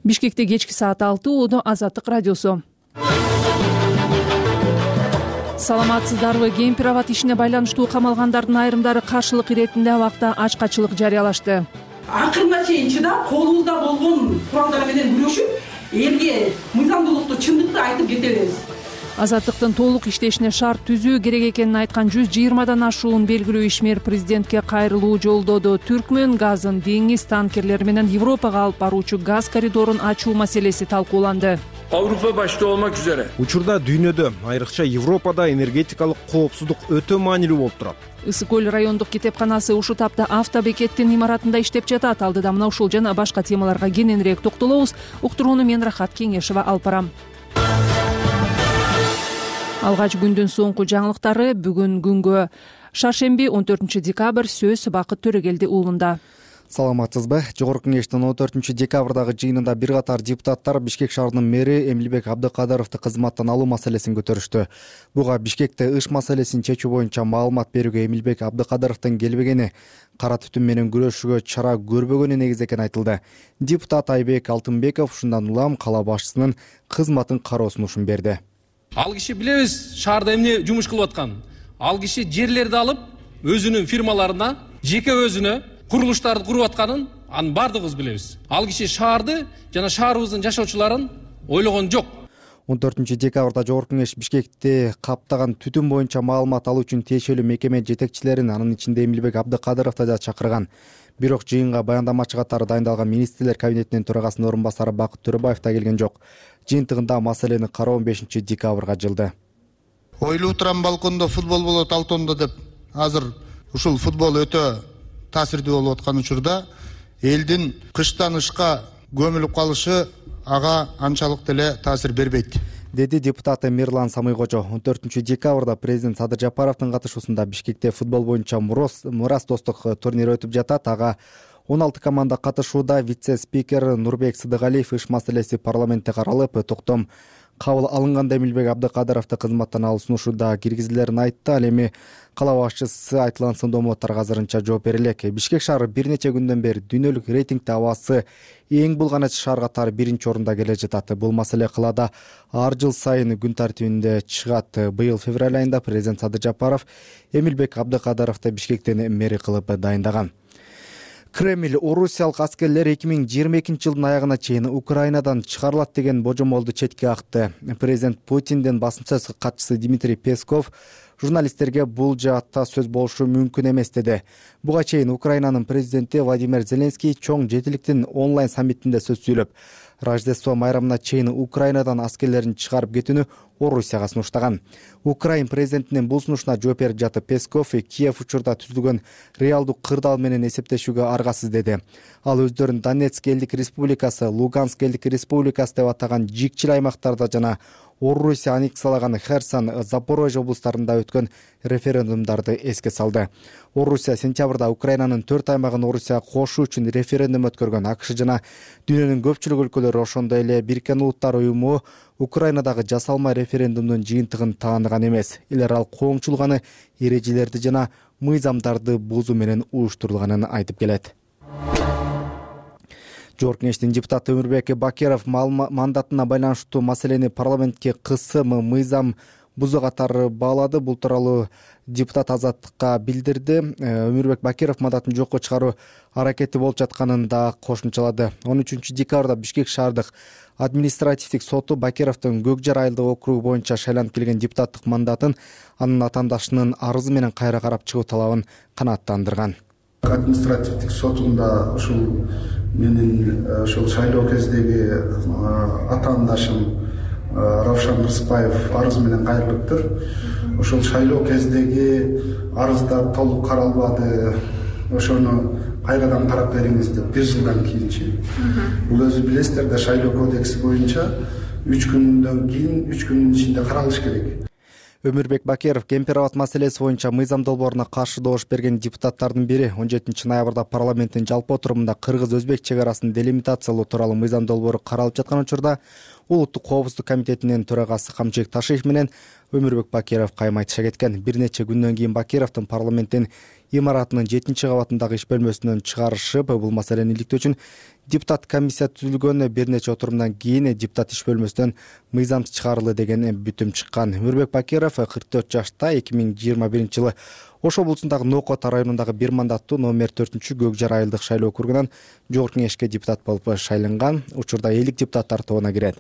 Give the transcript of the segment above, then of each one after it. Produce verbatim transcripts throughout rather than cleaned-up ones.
Бишкекте кечки саат алты Оодо Азаттык радиосу. Саламатсыздарбы? Кемпир абад ишине байланыштуу камалгандардын айрымдары каршылык иретинде абакта ачкачылык жарыялашты. Акырына чейин чыдап, колубузда болгон куралдар менен күрөшүп, элге мыйзамдуулукту, чындыкты айтып кетебиз. Азаттыктын толук иштешине шарт түзүү керек экенин айткан жүз жыйырмадан ашуун белгилүү ишмер президентке кайрылуу жолдоду. Түркмөн газын деңиз танкерлери менен Европага алып баруучу газ коридорун ачуу маселеси талкууланды. Avrupa başta olmak üzere. Учурда дүйнөдө, айрыкча Европада энергетикалык коопсуздук өтө маанилүү болуп турат. Ысык көл райондук китепканасы ушул тапта автобекеттин имаратында иштеп жатат. Алдыда мына ушул жана башка темаларга кененирээк токтолобуз. Уктурууну мен Рахат Кеңешева алып барам. Алгач күндүн соңку жаңылыктары бүгүн күнгө шаршемби он төртүнчү декабрь сөз Бакыт Төрөгелди уулунда. Саламатсызбы? Жогорку кеңештин он төртүнчү декабрдагы жыйынында бир катар депутаттар Бишкек шаарынын мэри Эмилбек Абдыкадыровду кызматтан алуу маселесин көтөрүштү. Буга Бишкекте ыш маселесин чечүү боюнча маалымат берүүгө Эмилбек Абдыкадыровдун келбегени, кара түтүн менен күрөшүүгө чара көрбөгөнү негиз экени айтылды. Депутат Айбек Алтынбеков ушундан улам кала башчысынын кызматын кароо сунушун берди. Ал киши билебиз шаарда эмне жумуш кылып атканын. Ал киши жерлерди алып өзүнүн фирмаларына, жеке өзүнө курулуштарды куруп атканын анын бардыгыбыз билебиз. Ал киши шаарды жана шаарыбыздын жашоочуларын ойлогон жок. он төртүнчү декабрда Жогорку кеңеш Бишкекти каптаган түтүн боюнча маалымат алуу үчүн тиешелүү мекеме жетекчилерин, анын ичинде Эмилбек Абдыкадыровду да чакырган. Бирок жыйынга баяндамачы катары дайындалган министрлер кабинетинин төрагасынын орун басары Бакыт Төрөбаев да келген жок. Жыйынтыгында маселени кароо он бешинчи декабрга жылды. Ойлуу турам балкондо футбол болот Алтондо деп, азыр ушул футбол өтө таасирдүү болуп аткан учурда элдин кыштан ышка көмүлүп калышы ага анчалык деле таасир бербейт, деди депутат Мирлан Самыйкожо. он төртүнчү декабрда президент Садыр Жапаровдун катышуусунда Бишкекте футбол боюнча мурас достук турнири өтүп жатат. Ага он алты команда катышууда. Вице-спикер Нурбек Сыдыгалиев ыш маселеси парламентте каралып, токтом кабыл алынганда Эмилбек Абдыкадыровду кызматтан алуу сунушуда киргизилерин айтты. Ал эми кала башчысы айтылган сындоомдорго азырынча жооп бере элек. Бишкек шаары бир нече күндөн бери дүйнөлүк рейтингде абасы эң булганач шаар катары биринчи орунда келе жатат. Бул маселе калаада ар жыл сайын күн тартибинде чыгат. Быйыл февраль айында президент Садыр Жапаров Эмилбек Абдыкадыровду Бишкектен мэри кылып дайындаган. Кремль орусиялык аскерлер эки миң жыйырма экинчи жылдын аягына чейин Украинадан чыгарылат деген божомолду четке акты. Президент Путиндин басма сөз катчысы Дмитрий Песков журналисттерге бул жаатта сөз болушу мүмкүн эмес деди. Буга чейин Украинанын президенти Владимир Зеленский чоң жетиликтин онлайн саммитинде сөз сүйлөп, Рождество майрамына чейин Украинадан аскерлерин чыгарып кетүүнү Орусияга сунуштаган. Украин президентинин бул сунушуна жооп берип жатып Песков Киев учурда түзүлгөн реалдуу кырдаал менен эсептешүүгө аргасыз деди. Ал өздөрүн Донецк элдик республикасы, Луганск элдик республикасы деп атаган жикчил аймактарда жана Орусия аннексиялаган Херсон, Запорожье облустарында өткөн референдумдарды эске салды. Орусия сентябрда Украинанын төрт аймагын Орусияга кошуу үчүн референдум өткөргөн. АКШ жана дүйнөнүн көпчүлүк өлкөлөрү, ошондой эле Бириккен Улуттар уюму Украинадагы жасалма референдумдун жыйынтыгын тааныган эмес. Эл аралык коомчулук аны эрежелерди жана мыйзамдарды бузуу менен уюштурулганын айтып келет. Жогорку кеңештин депутаты Өмүрбек Бакиров мандатына байланыштуу маселени парламентке кысым, мыйзам бузуу катары баалады. Бул тууралуу депутат Азаттыкка билдирди. Өмүрбек Бакиров мандатын жокко чыгаруу аракети болуп жатканын да кошумчалады. он үчүнчү декабрда Бишкек шаардык административдик соту Бакировдун Көкжар айылдык округу боюнча шайланып келген депутаттык мандатын анын атаандашынын арызы менен кайра карап чыгуу талабын канааттандырган. Административдик сотунда ушул менин ошол шайлоо кездеги атаандашым Равшан Рыспаев арыз менен кайрылыптыр. Ошол шайлоо кездеги арыздар толук каралбады. Ошону кайрадан карап бериңиз деп бир жылдан кийинчи. Бул өзү билесиздер да шайлоо кодекси боюнча үч күндөн кийин үч күндүн ичинде каралыш керек. Өмүрбек Бакиров кемпир абад маселеси боюнча мыйзам долбооруна каршы добуш берген депутаттардын бири. он жетинчи ноябрда парламенттин жалпы отурумунда кыргыз-өзбек чек арасын делимитациялоо тууралуу мыйзам долбоору каралып жаткан учурда Улуттук коопсуздук комитетинин төрагасы Камчыбек Ташиев менен Өмүрбек Бакиров кайым айтыша кеткен. Бир нече күндөн кийин Бакировдун парламенттин имаратынын жетинчи кабатындагы иш бөлмөсүнөн чыгарышып, бул маселени иликтөө үчүн Депутат комиссия түзүлгөн бир нече отурумдан кийин депутат иш бөлмөсүнөн мыйзам чыгарылды деген бүтүм чыккан. Өрбек Бакиров кырк төрт жашта эки миң жыйырма биринчи жылы Ош облусундагы Нокот районундагы бир мандаттуу номер төртүнчү Көк Жар айылдык шайлоо округунан Жогорку Кеңешке депутат болуп шайланган. Учурда элдик депутаттар тобуна кирет.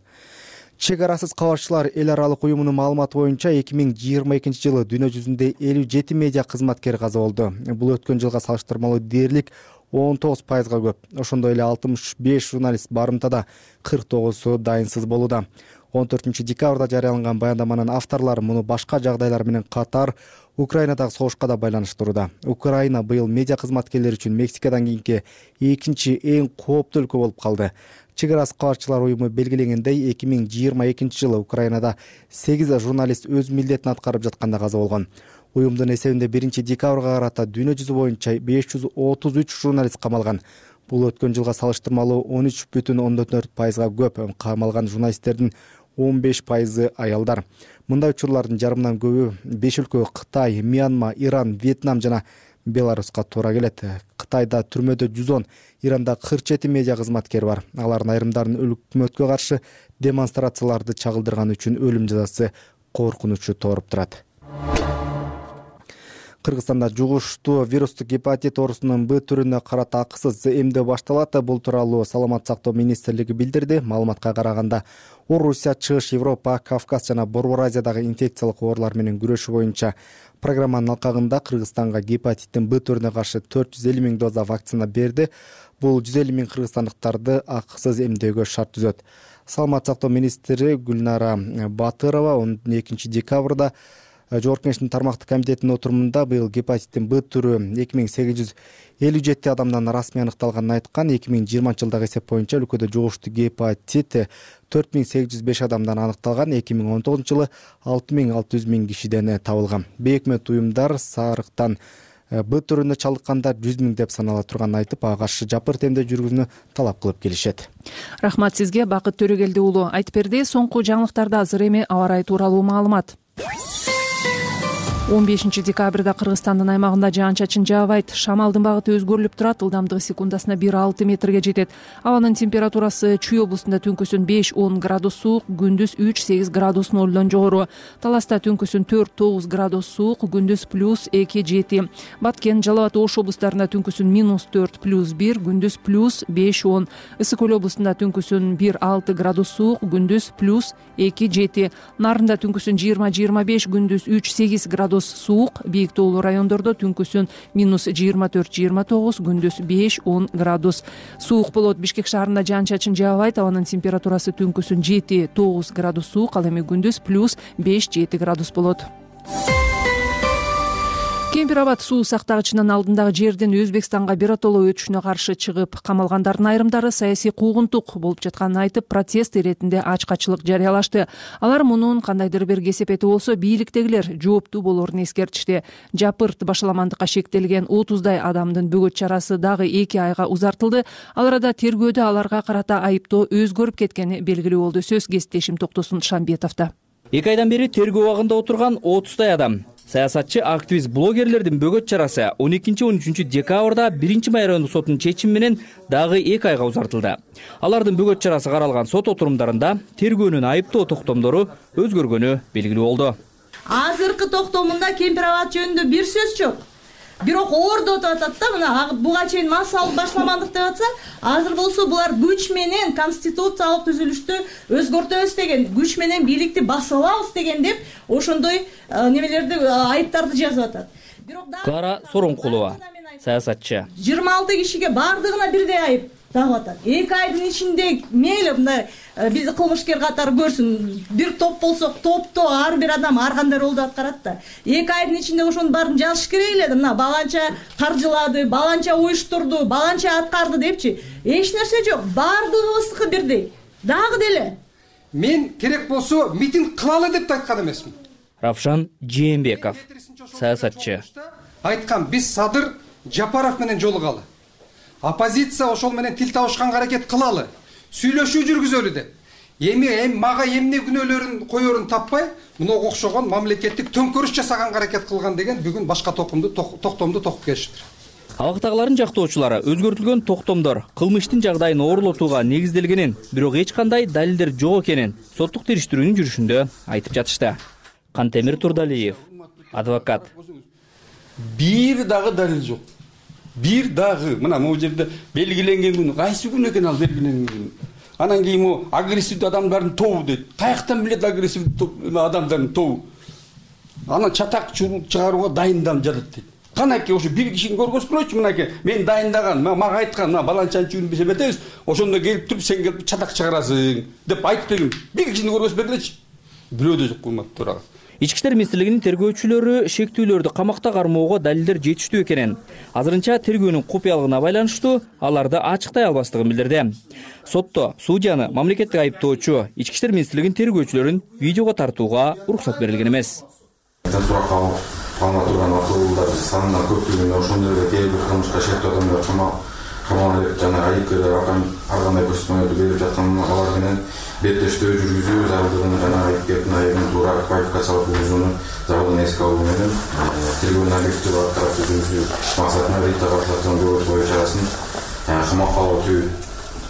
Чек арасыз кабарчылар эл аралык уюмунун маалыматы боюнча эки миң жыйырма экинчи жылы дүйнө жүзүндө элүү жети медиа кызматкер каза болду. Бул өткөн жылга салыштырмалуу дээрлик он тогуз пайызга көп. Ошондой эле алтымыш беш журналист барымтада, кырк тогузу дайынсыз болууда. он төртүнчү декабрда жарыяланган баяндаманын авторлору муну башка жагдайлар менен катар Украинадагы согушка да байланыштырууда. Украина быйыл медиа кызматкерлери үчүн Мексикадан кийинки экинчи эң кооптуу өлкө болуп калды. Чек арасыз кабарчылар уюму белгилегендей, эки миң жыйырма экинчи жылы Украинада сегиз журналист өз милдетин аткарып жатканда каза болгон. Уюмдун эсебинде биринчи декабрга карата дүйнө жүзү боюнча беш жүз отуз үч журналист камалган. Бул өткөн жылга салыштырмалуу он үч бүтүн ондон төрт пайызга көп. Камалган журналисттердин он беш пайызы аялдар. Мындай учурлардын жарымынан көбү беш өлкө Кытай, Мьянма, Иран, Вьетнам жана Беларуска туура келет. Кытайда түрмөдө жүз он, Иранда кырк жети медиа кызматкер бар. Алардын айрымдарынын өкмөткө каршы демонстрацияларды чагылдырганы үчүн өлүм жазасы коркунучу тооруп турат. Кыргызстанда жугуштуу вирустук гепатит оорусунун Б түрүнө карата акысыз эмдөө башталат. Бул тууралуу Саламаттык сактоо министрлиги билдирди. Маалыматка караганда, Орусия, Чыгыш Европа, Кавказ жана Борбор Азиядагы инфекциялык оорулар менен күрөшүү боюнча программанын алкагында Кыргызстанга гепатиттин Б түрүнө каршы төрт жүз элүү миң доза вакцина берди. Бул жүз элүү миң кыргызстандыктарды акысыз эмдөөгө шарт түзөт. Саламаттык сактоо министри Гүлнара Батырова он экинчи декабрда Жогорку Кеңештин тармактык комитетинин отурумунда быйыл гепатиттин Б түрү эки миң сегиз жүз элүү жети адамдан расмий аныкталганын айткан. эки миң жыйырманчы жылдагы эсеп боюнча өлкөдө жугуштуу гепатит төрт миң сегиз жүз беш адамдан аныкталган. эки миң он тогузунчу жылы алты миң алты жүз миң кишиден табылган. Бейөкмөт уюмдар сарыктан Б түрүнө чалыккандар жүз миң деп санала турганын айтып, ага каршы жапырт эмдөө жүргүзүүнү талап кылып келишет. Рахмат сизге, Бакыт Төрөгелди уулу. Айтып берди. Соңку жаңылыктарда азыр эми аба ырайы тууралуу маалымат. он бешинчи декабрда Кыргызстандын аймагында жаан-чачын жаабайт. Шамалдын багыты өзгөрүлүп турат. Ылдамдыгы секундасына бир алты метрге жетет. Абанын температурасы Чүй облусунда түнкүсүн беш он градус суук, күндүз үч сегиз градус нолдон жогору. Таласта түнкүсүн төрт тогуз градус суук, күндүз плюс эки жети. Баткен, Жалал абад, Ош облустарында түнкүсүн минус төрт плюс бир, күндүз плюс беш он. Ысык Көл облусунда түнкүсүн бир алты градус суук, күндүз плюс эки жети. Нарында түнкүсүн жыйырма жыйырма беш, күндүз үч сегиз градус суук. Бийик тоолуу райондордо түнкүсүн минус жыйырма төрт жыйырма тогуз, күндүз беш он градус суук болот. Бишкек шаарында жаан-чачын жаабайт. Абанын температурасы түнкүсүн жети тогуз градус суук, ал эми күндүз плюс беш жети градус болот. Кемпир Абад суу сактагычынын алдындагы жердин Өзбекстанга биротоло өтүшүнө каршы чыгып камалгандардын айрымдары саясий куугунтук болуп жатканын айтып, протест иретинде ачкачылык жарыялашты. Алар мунун кандайдыр бир кесепети болсо, бийликтегилер жооптуу болоорун эскертишти. Жапырт башаламандыкка шектелген отуздай адамдын бөгөт чарасы дагы эки айга узартылды. Ал арада тергөөдө аларга карата айыптоо өзгөрүп кеткени белгилүү болду. Сөз кесиптешим Токтосун Шамбетовдо. эки айдан бери тергөө абагында отурган отуздай адам. Саясатчы, активист, блогерлердин бөгөт чарасы он экинчи он үчүнчү декабрда биринчи май райондук сотунун чечими менен дагы эки айга узартылды. Алардын бөгөт чарасы каралган сот отурумдарында тергөөнүн айыптоо токтомдору өзгөргөнү белгилүү болду. Азыркы токтомунда Кемпир Абад жөнүндө бир сөз жок. Бирок ордо деп атат да, мына буга чейин массалык башаламандык деп атса, азыр болсо булар күч менен конституциялык түзүлүштү өзгөртөбүз деген, күч менен бийликти басып алабыз деген деп ошондой немелерди, айыптарды жазып атат. Кара Соронкулова, саясатчы. жыйырма алты кишиге бардыгына бирдей айып тагып атат. эки айдын ичинде мейли мындай бизди кылмышкер катары көрсүн, бир топ болсок топто ар бир адам ар кандай ролду аткарат да. эки айдын ичинде ошонун баарын жазыш керек эле да. Мына баланча каржылады, баланча уюштурду, баланча аткарды депчи. Эч нерсе жок. Бардыгыбыздыкы бирдей. Дагы деле. Мен керек болсо митинг кылалы деп айткан эмесмин. Равшан Жээнбеков, саясатчы. Айткан, биз Садыр Жапаров менен жолугалы. Оппозиция ошол менен тил табышканга аракет кылалы. Сүйлөшүү жүргүзөлү деп. Эми эм мага эмне күнөөлөрүн коерун таппай, мунга окшогон мамлекеттик төңкөрүш жасаганга аракет кылган деген бүгүн башка токумду токтомду токуп келишиптир. Абактагылардын жактоочулары өзгөртүлгөн токтомдор кылмыштын жагдайын оорлотууга негизделгенин, бирок эч кандай далилдер жок экенин соттук териштирүүнүн жүрүшүндө айтып жатышты. Кантемир Турдалиев, адвокат. Бир дагы далил жок. Бир дагы мына могу жерде белгиленген күн кайсы күн экен ал белгиленген күн. Анан кийин могу агрессивдүү адамдардын тобу дейт. Каяктан билет агрессивдүү адамдардын тобу? Анан чатак чыгарууга дайындалып жатат дейт. Канаки ошо бир кишини көргөзгүлөчү, мынакей мен дайындаган, мага айткан, мына баланчанчы биз эметебиз, ошондо келип туруп сен келип чатак чыгарасың деп айтып деген. Бир кишини көргөзүп бергилечи. Бирөө жок кулмат турагы. Ички иштер министрлигинин тергөөчүлөрү шектүүлөрдү камакта кармоого далилдер жетиштүү экенин, азырынча тергөөнүн купуялыгына байланыштуу аларды ачыктай албастыгын билдирди. Сотто судьяны мамлекеттик айыптоочу ички иштер министрлигинин тергөөчүлөрүн видеого тартууга уруксат берилген эмес. Калма турган акылдуулар санына көптүгүнө ошондой эле кээ бир кылмышка шектүү адамдар камалып жана айыпкерлер ар кандай көрсөтмөлөрдү берип жаткан алар менен беттештөө жүргүзүү зарылдыгын жана айыпкердин айыбын туура квалификациялап жүргүзүүнү зарылдыгын эске алуу менен тергөөнүн объективдүү аткарып жүргүзүү максатында Рита Барсаттын көбөт бою чарасын камакка алуу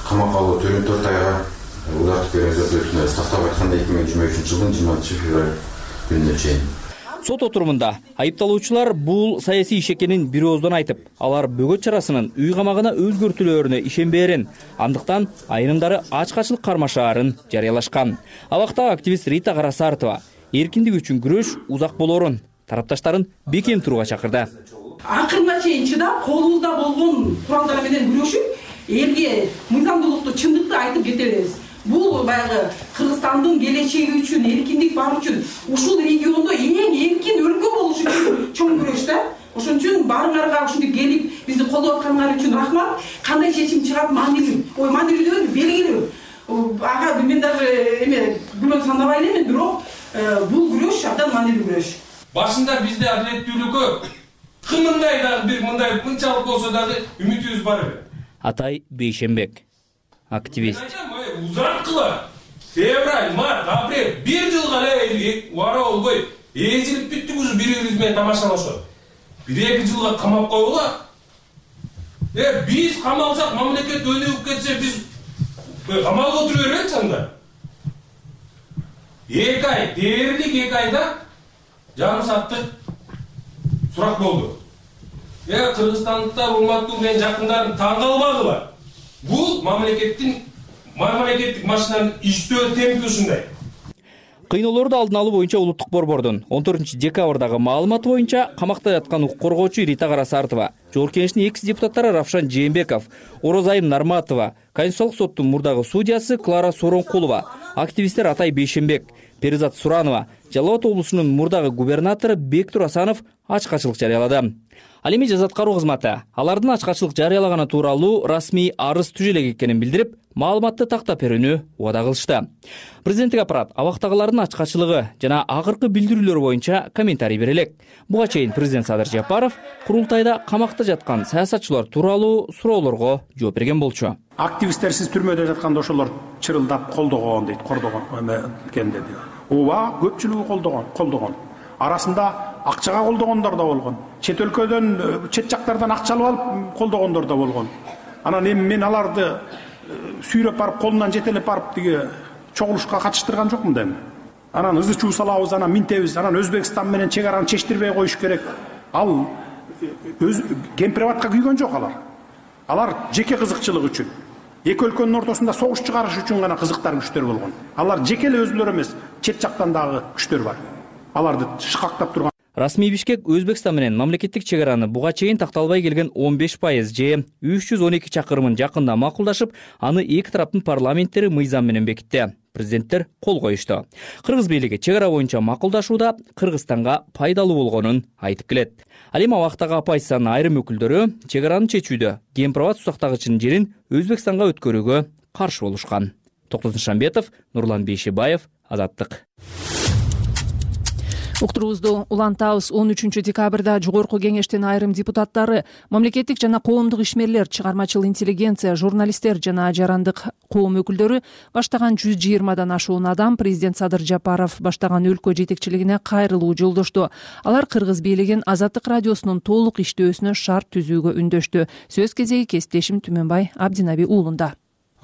камакка алуу түрүн төрт айга узартып берүүнүздү өтүнөбүз. Тактап айтканда эки миң жыйырма үчүнчү жылдын жыйырма алтынчы февраль күнүнө чейин. Сот отурумунда айыпталуучулар бул саясий иш экенин бир ооздон айтып, алар бөгөт чарасынын үй камагына өзгөртүлөөрүнө ишенбээрин, андыктан айрымдары ачкачылык кармашаарын жарыялашкан. Абактагы активист Рита Карасартова эркиндик үчүн күрөш узак болоорун, тарапташтарын бекем турууга чакырды. Акырына чейин чыдап, колубузда болгон куралдар менен күрөшүп, элге мыйзамдуулукту, чындыкты айтып кете беребиз. Бул баягы Кыргызстандын келечеги үчүн, эркиндик бар үчүн, ушул региондо эң эркин өлкө болуш үчүн чоң күрөш да. Ошон үчүн баарыңарга ушинтип келип бизди колдоп атканыңар үчүн рахмат. Кандай чечим чыгат маанилүү. Ой, маанилүү белгилүү. Ага мен даже эме күнөө сандабай элемин, бирок бул күрөш абдан маанилүү күрөш. Башында бизде адилеттүүлүккө кымындай дагы бир мындай мынчалык болсо дагы үмүтүбүз бар. Атай Бейшенбек, активист. Узарткыла февраль, март, апрель бир жылга эле убара болбой эзилип бүттүк уже бири-бирибиз менен тамашалашып. Бир эки жылга камап койгула. Э биз камалсак, мамлекет өнүгүп кетсе, биз камалга отура бербейт анда. эки ай, дээрлик эки айда жарым сааттык сурак болду. Э кыргызстандыктар, урматтуу менин жакындарым таң калбадыла. Бул мамлекеттин мамлекеттик машинанын иштөө темпи ушундай. Кыйноолорду алдын алуу боюнча улуттук борбордун он төртүнчү декабрдагы маалыматы боюнча камакта жаткан укук коргоочу Рита Карасартова, Жогорку Кеңештин экс депутаттары Равшан Жээнбеков, Орозайым Нарматова, Конституциялык соттун мурдагы судьясы Клара Соронкулова, активисттер Атай Бейшенбек, Перизат Суранова, Жалал Абад облусунун мурдагы губернатору Бектур Асанов ачкачылык жарыялады. Ал эми жаза аткаруу кызматы алардын ачкачылык жарыялаганы тууралуу расмий арыз түзө элек экенин билдирип, маалыматты тактап берүүнү убада кылышты. Президенттик аппарат абактагылардын ачкачылыгы жана акыркы билдирүүлөр боюнча комментарий бере элек. Буга чейин президент Садыр Жапаров курултайда камакта жаткан саясатчылар тууралуу суроолорго жооп берген болчу. Активисттер сиз түрмөдө жатканда ошолор чырылдап колдогон дейт, кордогон экен деди. Ооба, көпчүлүгү колдогон, колдогон. Арасында акчага колдогондор да болгон. Чет өлкөдөн, чет жактардан акча алып алып колдогондор да болгон. Анан эми мен аларды сүйрөп барып, колунан жетелеп барып тиги чогулушка катыштырган жокмун дейм. Анан ызы чуу салабыз, анан минтебиз, анан Өзбекстан менен чек араны чечтирбей коюш керек. Ал өз кемпирабатка күйгөн жок алар. Алар жеке кызыкчылык үчүн, эки өлкөнүн ортосунда согуш чыгарыш үчүн гана кызыктар күчтөр болгон. Алар жеке эле өзүлөрү эмес, чет жактан дагы күчтөр бар. Аларды шыкактап турган. Расмий Бишкек Өзбекстан менен мамлекеттик чек араны буга чейин такталбай келген он беш пайыз же үч жүз он эки чакырымын жакында макулдашып, аны эки тараптын парламенттери мыйзам менен бекитти. Президенттер кол коюшту. Кыргыз бийлиги чек ара боюнча макулдашууда Кыргызстанга пайдалуу болгонун айтып келет. Ал эми абактагы оппозициянын айрым өкүлдөрү чек араны чечүүдө Кемпирабад сусактагычынын жерин Өзбекстанга өткөрүүгө каршы болушкан. Токтосун Шамбетов, Нурлан Бейшебаев, Азаттык. Уктуруубузду улантабыз. он үчүнчү декабрда жогорку кеңештин айрым депутаттары, мамлекеттик жана коомдук ишмерлер, чыгармачыл интеллигенция, журналисттер жана жарандык коом өкүлдөрү баштаган жүз жыйырмадан ашуун адам президент Садыр Жапаров баштаган өлкө жетекчилигине кайрылуу жолдошту. Алар кыргыз бийлигин Азаттык радиосунун толук иштөөсүнө шарт түзүүгө үндөштү. Сөз кезеги кесиптешим Түмөнбай Абдинаби уулунда.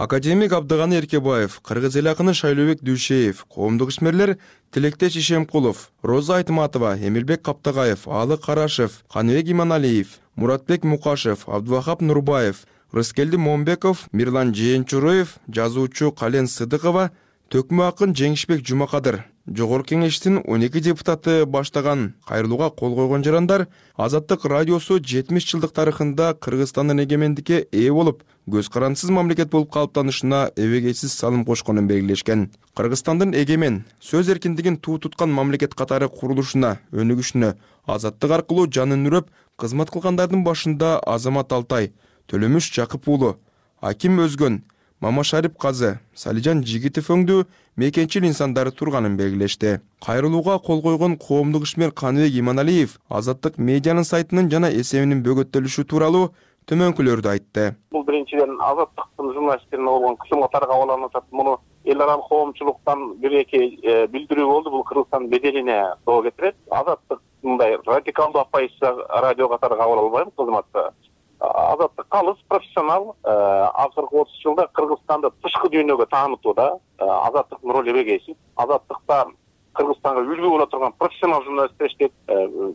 Академик Абдыганы Эркебаев, Кыргыз эл акыны Шайлообек Дүйшеев, коомдук ишмерлер Тилектеш Ишемкулов, Роза Айтматова, Эмилбек Каптагаев, Алы Карашев, Каныбек Иманалиев, Муратбек Мукашев, Абдывахап Нурбаев, Рыскелди Момбеков, Мирлан Жээнчуроев, жазуучу Кален Сыдыкова, Төкмө акын Жеңишбек Жумакадыр, Жогорку кеңештин он эки депутаты баштаган кайрылууга кол койгон жарандар Азаттык радиосу жетимиш жылдык тарыхында Кыргызстандын эгемендикке ээ болуп, көз карандысыз мамлекет болуп калыптанышына эбегейсиз салым кошконун белгилешкен. Кыргызстандын эгемен, сөз эркиндигин туу туткан мамлекет катары курулушуна, өнүгүшүнө азаттык аркылуу жанын үрөп кызмат кылгандардын башында Азамат Алтай, Төлөмүш Жакып уулу, Аким Өзгөн, Мамашарип Казы, Салижан Жигитов өңдүү мекенчил инсандары турганын белгилешти. Кайрылууга кол койгон коомдук ишмер Каныбек Иманалиев Азаттык медианын сайтынын жана эсебинин бөгөттөлүшү тууралуу төмөнкүлөрдү айтты. Бул биринчиден Азаттыктын журналисттерине болгон кысымга таркаланып атат. Муну эл аралык коомчулуктан бир эки билдирүү болду. Бул Кыргызстандын беделине доо кетирет. Азаттык мындай радикалдуу оппозиция радио катары кабыл албайм кызматты. Азаттык калыс профессионал, акыркы отуз жылда Кыргызстанды тышкы дүйнөгө таанытууда Азаттыктын ролу эбегейсиз. Азаттыкта Кыргызстанга үлгү боло турган профессионал журналисттер иштейт.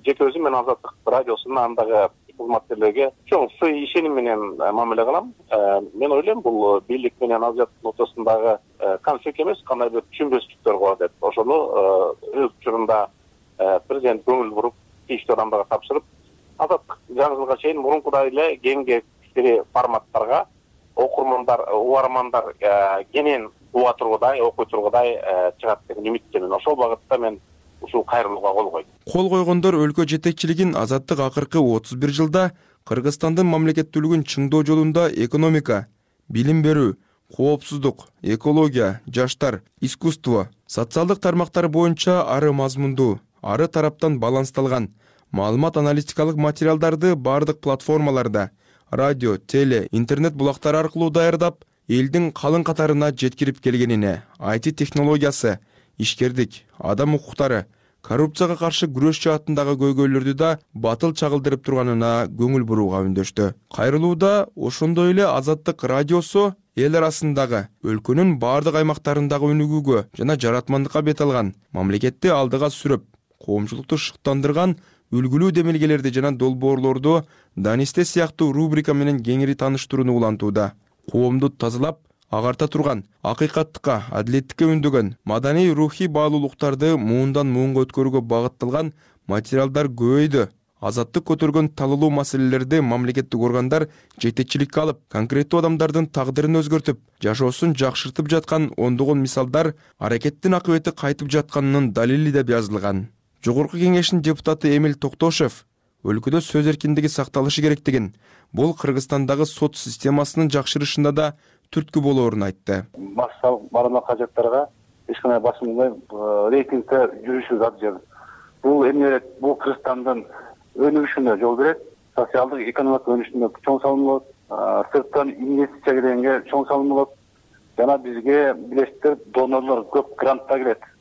Жеке өзүм мен Азаттык радиосунун андагы кызматкерлерге чоң сый ишеним менен мамиле кылам. Мен ойлойм, бул бийлик менен Азаттыктын ортосундагы конфликт эмес, кандайдыр түшүнбөстүктөр бар деп. Ошону өз учурунда президент көңүл буруп, тийиштүү адамдарга тапшырып, Азаттык жаңы жылга чейин мурункудай эле кеңдештери форматтарга окурмандар, угармандар кенен уга тургудай, окуй тургудай чыгат деген үмүттөмүн. Ошол багытта мен ушул кайрылууга кол койдум. Кол койгондор өлкө жетекчилигин Азаттык акыркы отуз бир жылда Кыргызстандын мамлекеттүүлүгүн чыңдоо жолунда экономика, билим берүү, коопсуздук, экология, жаштар, искусство, социалдык тармактар боюнча ары мазмундуу, ары тараптан балансталган маалымат аналитикалык материалдарды бардык платформаларда, радио, теле, интернет булактары аркылуу даярдап, элдин калың катарына жеткирип келгенине, ай ти технологиясы, ишкердик, адам укуктары, коррупцияга каршы күрөш жаатындагы көйгөйлөрдү да батыл чагылдырып турганына көңүл бурууга үндөштү. Кайрылууда ошондой эле Азаттык радиосу эл арасындагы өлкөнүн бардык аймактарындагы өнүгүүгө жана жаратмандыкка бет алган, мамлекетти алдыга сүрөп, коомчулукту шыктандырган үлгүлүү демилгелерди жана долбоорлорду Данисте сыяктуу рубрика менен кеңири тааныштырууну улантууда. Коомду тазалап, агарта турган, акыйкаттыкка, адилеттикке үндөгөн, маданий рухий баалуулуктарды муундан муунга өткөрүүгө багытталган материалдар көбөйдү. Азаттык көтөргөн талуулуу маселелерди мамлекеттик органдар жетекчиликке алып, конкреттүү адамдардын тагдырын өзгөртүп, жашоосун жакшыртып жаткан ондогон мисалдар аракеттин акыбети кайтып жатканынын далили деп жазылган. Жогорку кеңештин депутаты Эмил Токтошев өлкөдө сөз эркиндиги сакталышы керектигин, бул Кыргызстандагы сот системасынын жакшырышында да түрткү болоорун айтты. Массалык барлык кажеттарга эч кандай басым болбой рейтингде жүрүшү зарыл. Бул эмне, бул Кыргызстандын өнүгүшүнө жол берет, социалдык экономикалык өнүгүшүнө чоң салым болот, сырттан инвестиция келгенге чоң салым болот. Жана бизге билесиздер, донорлор көп гранттар келет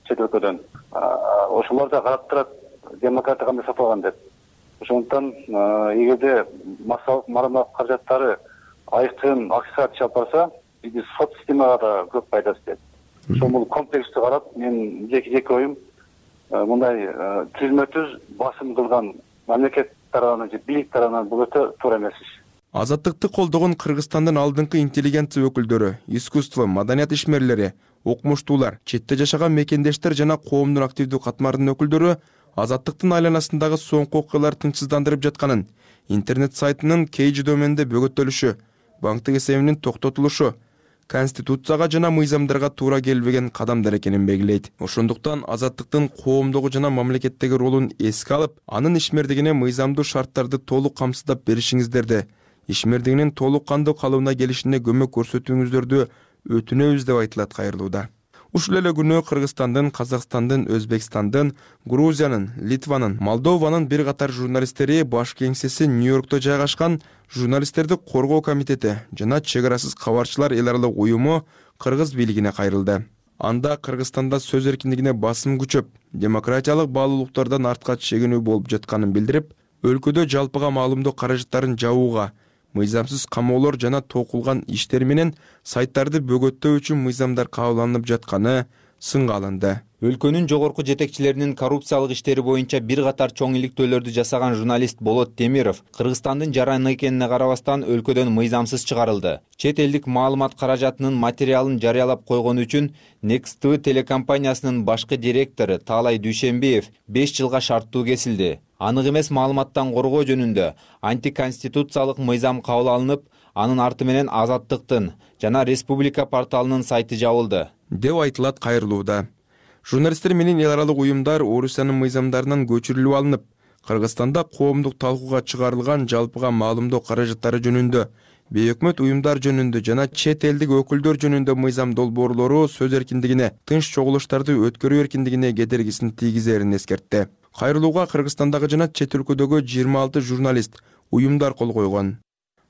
чет өлкөдөн. Ошолор да карап турат, демократия кандай сатылган деп. Ошондуктан эгерде массалык маалымат каражаттары айкын акча чыгып барса, биз сот системага да көп пайдасы тиет. Ошол комплекстүү карап, мен жеке жеке оюм, мындай түзмө түз басым кылган мамлекет тарабынан же бийлик тарабынан бул өтө туура эмес иш. Азаттыкты колдогон Кыргызстандын алдыңкы интеллигенция өкүлдөрү, искусство, маданият ишмерлери, окумуштуулар, четте жашаган мекендештер жана коомдун активдүү катмардын өкүлдөрү Азаттыктын айланасындагы соңку окуялар тынчсыздандырып жатканын, интернет сайтынын кейжи доменде бөгөттөлүшү, банктык эсебинин токтотулушу, конституцияга жана мыйзамдарга туура келбеген кадамдар экенин белгилейт. Ошондуктан Азаттыктын коомдогу жана мамлекеттеги ролун эске алып, анын ишмердигине мыйзамдуу шарттарды толук камсыздап беришиңиздерди, ишмердигинин толук кандуу калыбына келишине көмөк көрсөтүүңүздөрдү өтүнөбүз деп айтылат кайрылууда. Ушул эле күнү Кыргызстандын, Казакстандын, Өзбекстандын, Грузиянын, Литванын, Молдованын бир катар журналисттери баш кеңсеси Нью-Йоркто жайгашкан Журналисттерди коргоо комитети жана Чек арасыз кабарчылар эл аралык уюму кыргыз бийлигине кайрылды. Анда Кыргызстанда сөз эркиндигине басым күчөп, демократиялык баалуулуктардан артка чегинүү болуп жатканын билдирип, өлкөдө жалпыга маалымдоо каражаттарын жабууга, мыйзамсыз камоолор жана токулган иштер менен сайттарды бөгөттөө үчүн мыйзамдар кабылданып жатканы сынга алынды. Өлкөнүн жогорку жетекчилеринин коррупциялык иштери боюнча бир катар чоң иликтөөлөрдү жасаган журналист Болот Темиров Кыргызстандын жараны экенине карабастан өлкөдөн мыйзамсыз чыгарылды. Чет элдик маалымат каражатынын материалын жарыялап койгону үчүн Next ти ви телекомпаниясынын башкы директору Таалай Дүйшенбиев беш жылга шарттуу кесилди. Анык эмес маалыматтан коргоо жөнүндө антиконституциялык мыйзам кабыл алынып, анын арты менен Азаттыктын жана Республика порталынын сайты жабылды деп айтылат кайрылууда. Журналисттер менен эл аралык уюмдар Орусиянын мыйзамдарынан көчүрүлүп алынып, Кыргызстанда коомдук талкууга чыгарылган жалпыга маалымдоо каражаттары жөнүндө, бейөкмөт уюмдар жөнүндө жана чет элдик өкүлдөр жөнүндө мыйзам долбоорлору сөз эркиндигине, тынч чогулуштарды өткөрүү эркиндигине кедергисин тийгизерин эскертти. Кайрылууга Кыргызстандагы жана чет өлкөдөгү жыйырма алты журналист, уюмдар кол койгон.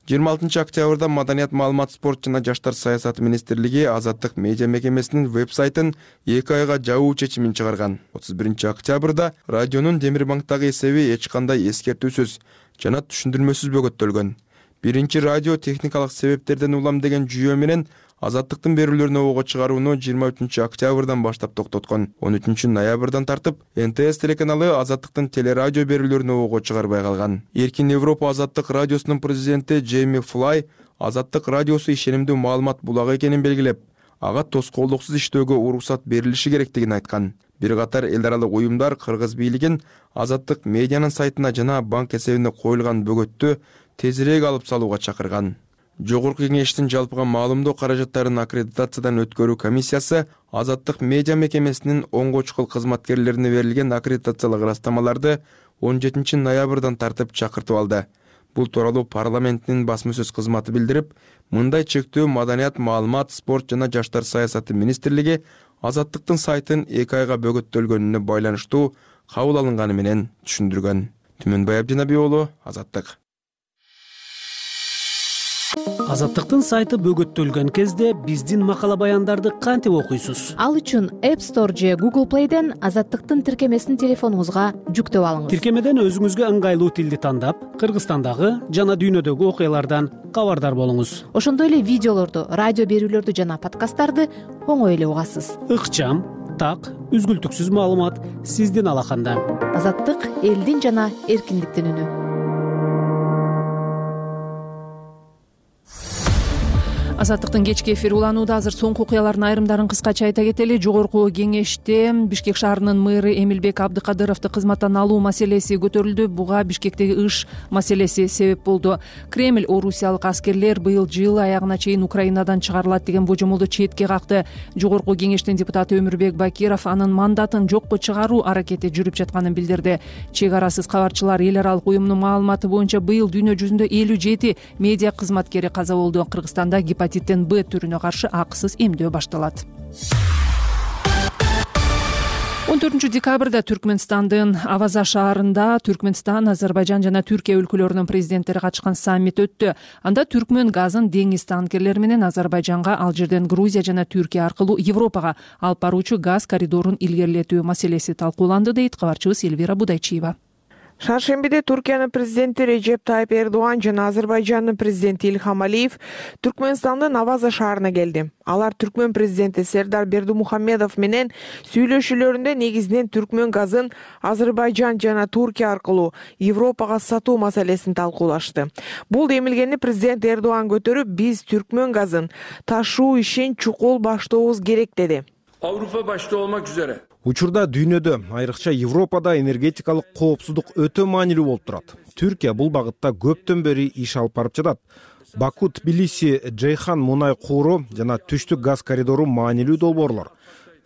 жыйырма алтынчы октябрда Маданият, маалымат, спорт жана жаштар саясаты министрлиги Азаттык медиа мекемесинин веб-сайтын эки айга жабуу чечимин чыгарган. отуз биринчи октябрда радионун Демирбанктагы эсеби эч кандай эскертүүсүз жана түшүндүрмөсүз бөгөттөлгөн. Биринчи радио техникалык себептерден улам деген жүйө менен Азаттыктын берүүлөрүнө ого чыгарууну жыйырма үчүнчү октябрдан баштап токтоткон. он үчүнчү ноябрдан тартып эн тэ эс телеканалы Азаттыктын телерадио берүүлөрүнө ого чыгарбай калган. Эркин Европа Азаттык радиосунун президенти Джейми Флай Азаттык радиосу ишенимдүү маалымат булагы экенин белгилеп, ага тоскоолдуксуз иштөөгө уруксат берилиши керектигин айткан. Бир катар эл аралык уюмдар кыргыз бийлигин Азаттык медианын сайтына жана банк эсебине коюлган бөгөттү тезирээк алып салууга чакырган. Жогорку кеңештин жалпыга маалымдоо каражаттарын аккредитациядан өткөрүү комиссиясы Азаттык медиа мекемесинин онго чукул кызматкерлерине берилген аккредитациялык ырастамаларды он жетинчи ноябрдан тартып чакыртып алды. Бул тууралуу парламенттин басма сөз кызматы билдирип, мындай чектөө Маданият, маалымат, спорт жана жаштар саясаты министрлиги Азаттыктын сайтын эки айга бөгөттөлгөнүнө байланыштуу кабыл алынганы менен түшүндүргөн. Түмөнбай Абдинаби уулу, Азаттык. Азаттыктын сайты бөгөттөлгөн кезде биздин макала баяндарды кантип окуйсуз? Ал үчүн App Store же Google Play'ден Азаттыктын тиркемесин телефонуңузга жүктөп алыңыз. Тиркемеден өзүңүзгө ыңгайлуу тилди тандап, Кыргызстандагы жана дүйнөдөгү окуялардан кабардар болуңуз. Ошондой эле видеолорду, радио берүүлөрдү жана подкасттарды оңой эле угасыз. Ыкчам, так, үзгүлтүксүз маалымат сиздин алаканда. Азаттык элдин жана эркиндиктин үнү. Азаттыктын кечки эфири уланууда. Азыр соңку окуялардын айрымдарын кыскача айта кетели. Жогорку кеңеште Бишкек шаарынын мэры Эмилбек Абдыкадыровду кызматтан алуу маселеси көтөрүлдү. Буга Бишкектеги ыш маселеси себеп болду. Кремль орусиялык аскерлер быйыл жыл аягына чейин Украинадан чыгарылат деген божомолду четке какты. Жогорку кеңештин депутаты Өмүрбек Бакиров анын мандатын жокко чыгаруу аракети жүрүп жатканын билдирди. Чек арасыз кабарчылар эл аралык уюмунун маалыматы боюнча быйыл дүйнө жүзүндө элүү жети медиа кызматкери каза болду. Кыргызстанда гепатиттен Б түрүнө каршы акысыз эмдөө башталат. он төртүнчү декабрда Түркмөнстандын Аваза шаарында Түркмөнстан, Азербайжан жана Түркия өлкөлөрүнүн президенттери катышкан саммит өттү. Анда Түркмөн газын деңиз танкерлери менен Азербайжанга, ал жерден Грузия жана Түркия аркылуу Европага алып баруучу газ коридорун илгерилетүү маселеси талкууланды, дейт кабарчыбыз Элвира Будайчиева. Шаршембиде Туркиянын президенти Режеп Тайып Эрдоган жана Азербайжандын президенти Ильхам Алиев Түркмөнстандын Аваза шаарына келди. Алар Түркмөн президенти Сердар Бердумухамедов менен сүйлөшүүлөрүндө негизинен Түркмөн газын Азербайжан жана Туркия аркылуу Европага сатуу маселесин талкуулашты. Бул демилгени президент Эрдоган көтөрүп, биз Түркмөн газын ташуу ишин чукул баштообуз керек деди. Avrupa başta olmak üzere Учурда дүйнөдө, айрыкча Европада энергетикалык коопсуздук өтө маанилүү болуп турат. Түркия бул багытта көптөн бери иш алып барып жатат. Баку, Тбилиси, Джейхан мунай кууру жана түштүк газ коридору маанилүү долбоорлор.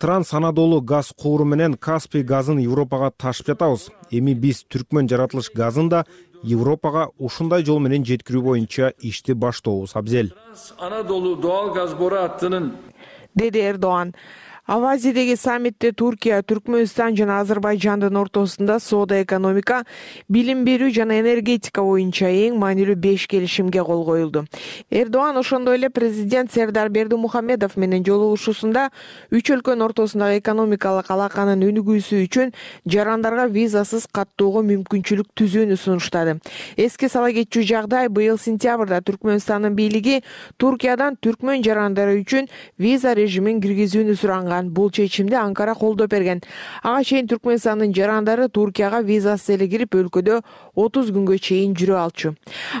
Транс Анадолу газ кууру менен Каспий газын Европага ташып жатабыз. Эми биз Түркмөн жаратылыш газын да Европага ушундай жол менен жеткирүү боюнча ишти баштообуз абзел. Anadolu doğal gaz boru hattının деди Эрдоган. Авазиядеги саммитте Туркия, Түркмөнстан жана Азербайжандын ортосунда соода, экономика, билим берүү жана энергетика боюнча эң маанилүү беш келишимге кол коюлду. Эрдоган ошондой эле президент Сердар Бердимухамедов менен жолугушуусунда үч өлкөнүн ортосундагы экономикалык алаканын өнүгүүсү үчүн жарандарга визасыз каттоого мүмкүнчүлүк түзүүнү сунуштады. Эске сала кетчү жагдай, быйыл сентябрда Түркмөнстандын бийлиги Туркиядан түркмөн жарандары үчүн виза режимин киргизүүнү суранган. Бул чечимди Анкара колдоп берген. Ага чейин Түркмөнстандын жарандары Туркияга визасыз эле кирип, өлкөдө отуз күнгө чейин жүрө алчу.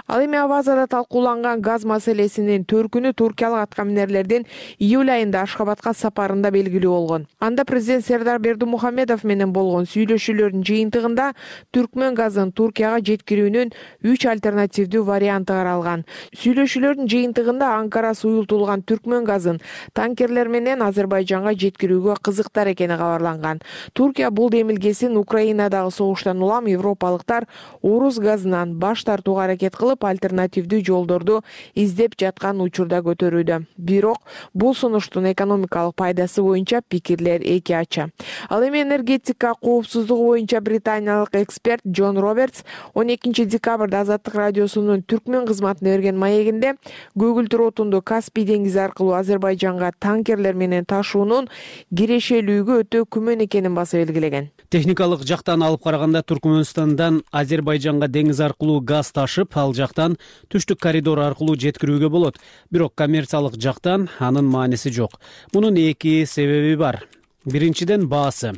Ал эми Авазада талкууланган газ маселесинин төркүнү туркиялык аткаминерлердин июль айында Ашхабадка сапарында белгилүү болгон. Анда президент Сердар Бердимухамедов менен болгон сүйлөшүүлөрдүн жыйынтыгында түркмөн газын Туркияга жеткирүүнүн үч альтернативдүү варианты каралган. Сүйлөшүүлөрдүн жыйынтыгында Анкара суюлтулган түркмөн газын танкерлер менен Азербайжанга жеткирүүгө кызыктар экени кабарланган. Туркия бул демилгесин Украинадагы согуштан улам европалыктар орус газынан баш тартууга аракет кылып, альтернативдүү жолдорду издеп жаткан учурда көтөрүүдө. Бирок бул сунуштун экономикалык пайдасы боюнча пикирлер эки ача. Ал эми энергетика коопсуздугу боюнча британиялык эксперт Джон Робертс он экинчи декабрда Азаттык радиосунун түркмөн кызматына берген маегинде көгүлтүр отунду Каспий деңизи аркылуу Азербайжанга танкерлер менен ташуунун кирешелүүгө өтө күмөн экенин басып белгилеген. Техникалык жактан алып караганда Түркмөнстандан Азербайжанга деңиз аркылуу газ ташып, ал жактан түштүк коридор аркылуу жеткирүүгө болот. Бирок коммерциялык жактан анын мааниси жок. Мунун эки себеби бар. Биринчиден баасы.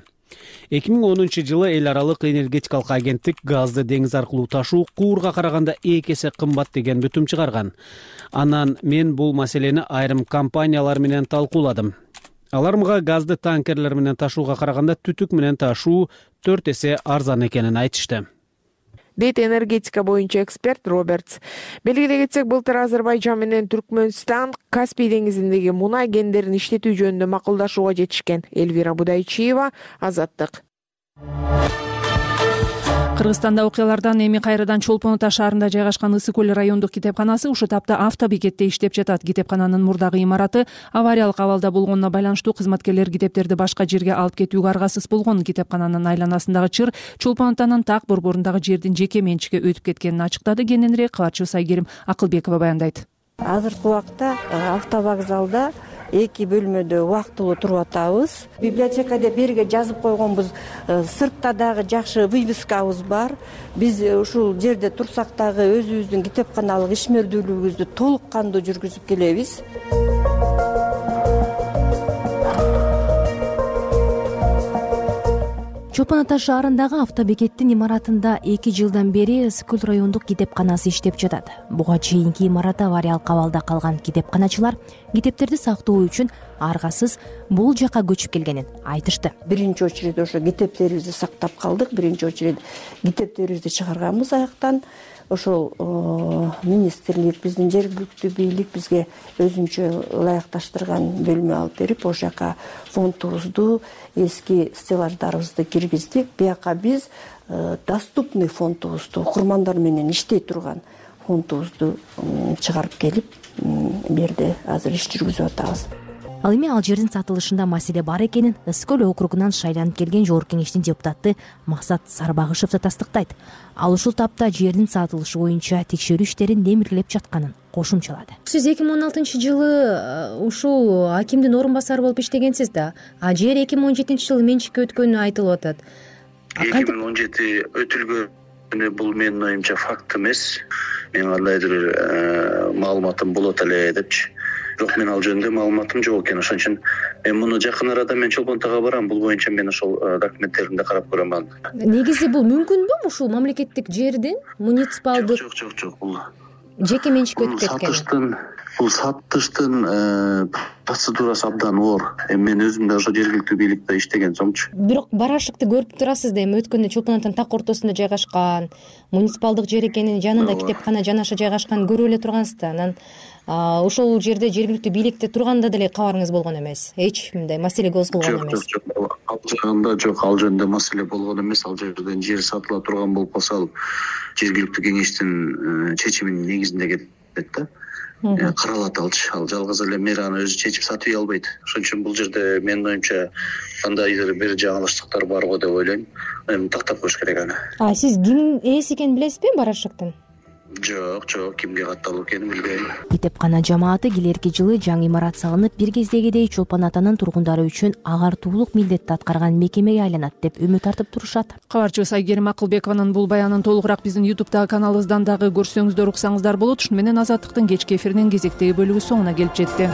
эки миң онунчу жылы эл аралык энергетикалык агенттик газды деңиз аркылуу ташуу куурга караганда эки эсе кымбат деген бүтүм чыгарган. Анан мен бул маселени айрым компаниялар менен талкууладым. Алар мага газды танкерлер менен ташууга караганда түтүк менен ташуу төрт эсе арзан экенин айтышты, дейт энергетика боюнча эксперт Робертс. Белгилей кетсек, былтыр Азербайжан менен Түркмөнстан Каспий деңизиндеги мунай кендерин иштетүү жөнүндө макулдашууга жетишкен. Элвира Будайчиева, Азаттык. Кыргызстанда окуялардан эми кайрадан Чолпон Ата шаарында жайгашкан Ысык көл райондук китепканасы ушул тапта автобекетте иштеп жатат. Китепкананын мурдагы имараты авариялык абалда болгонуна байланыштуу кызматкерлер китептерди башка жерге алып кетүүгө аргасыз болгон. Китепкананын айланасындагы чыр Чолпон Атанын так борборундагы жердин жеке менчикке өтүп кеткенин ачыктады. Кененирээк кабарчыбыз Айгерим Акылбекова баяндайт. Азыркы убакта автовокзалда эки бөлмөдө убактылуу туруп атабыз. Библиотека деп берге жазып койгонбуз. Сыртта дагы жакшы вывескабыз бар. Биз ушул жерде турсак дагы өзүбүздүн китепканалык ишмердүүлүгүбүздү толук кандуу жүргүзүп келебиз. Чолпон Ата шаарындагы автобекеттин имаратында эки жылдан бери Ысык көл райондук китепканасы иштеп жатат. Буга чейинки имарат авариялык абалда калган китепканачылар китептерди сактоо үчүн аргасыз бул жака көчүп келгенин айтышты. Биринчи очередь ошо китептерибизди сактап калдык. Биринчи очередь китептерибизди чыгарганбыз аяктан. Ошол министрлик, биздин жергиликтүү бийлик бизге өзүнчө ылайыкташтырган бөлмө алып берип, ошол жака фондубузду, эски стеллаждарыбызды киргиздик. Бияка биз доступный фондубузду, окурмандар менен иштей турган фондубузду чыгарып келип, берде азыр иш жүргүзүп атабыз. Ал эми ал жердин сатылышында маселе бар экенин Ысык көл округунан шайланып келген жогорку кеңештин депутаты Максат Сарбагышев да тастыктайт. Ал ушул тапта жердин сатылышы боюнча текшерүү иштерин демиргилеп жатканын кошумчалады. Сиз эки миң он алтынчы жылы ушул акимдин орун басары болуп иштегенсиз да, а жер эки миң он жетинчи жылы менчикке өткөнү айтылып атат. эки миң он жети өтүлгөнү бул менин оюмча факт эмес. Мен кандайдыр маалыматым болот эле депчи. Бирок мен ал жөнүндө маалыматым жок экен. Ошон үчүн мен муну жакын арада мен Чолпон Атага барам. Бул боюнча мен ошол документтерин да карап көрөм. Негизи бул мүмкүнбү ушул мамлекеттик жердин муниципалдык? Жок, жок, жок. Бул жеке менчикке өтүп кеткен. Сатыштын, бул сатыштын процедурасы абдан оор. Мен өзүм да ошо жергиликтүү бийликте иштеген сомчу. Бирок барашыкты көрүп турасыз да, эми өткөндө Чолпон Атанын так ортосунда жайгашкан, муниципалдык жер экенин, жанында китепкана жанаша жайгашкан көрүп эле тургансыз да. Анан ошол жерде жергиликтүү бийликте турганда деле кабарыңыз болгон эмес. Эч мындай маселе козголгон эмес. Жок, жок, ал жагында жок, ал жөнүндө маселе болгон эмес. Ал жерден жер сатыла турган болуп калса, ал жергиликтүү кеңештин чечиминин негизинде кетет да. каралат алчы. Ал жалгыз эле мэр аны өзү чечип сатып үй албайт. Ошон үчүн бул жерде менин оюмча кандайдыр бир жаңылыштыктар бар го деп ойлойм. Эми тактап коюш керек аны. А сиз ким ээси экенин билесизби барашыктын? Жок, жок, кимге катталуу экенин билбейм. Китепкана жамааты келерки жылы жаңы имарат салынып, бир кездегидей Чолпон атанын тургундары үчүн агартуулук милдетти аткарган мекемеге айланат деп үмүт артып турушат. Кабарчыбыз Айгерим Акылбекованын бул баянын толугураак биздин ютубтагы каналыбыздан дагы көрсөңүздөр, уксаңыздар болот. Ушуну менен Азаттыктын кечки эфиринин кезектеги бөлүгү соңуна келип жетти.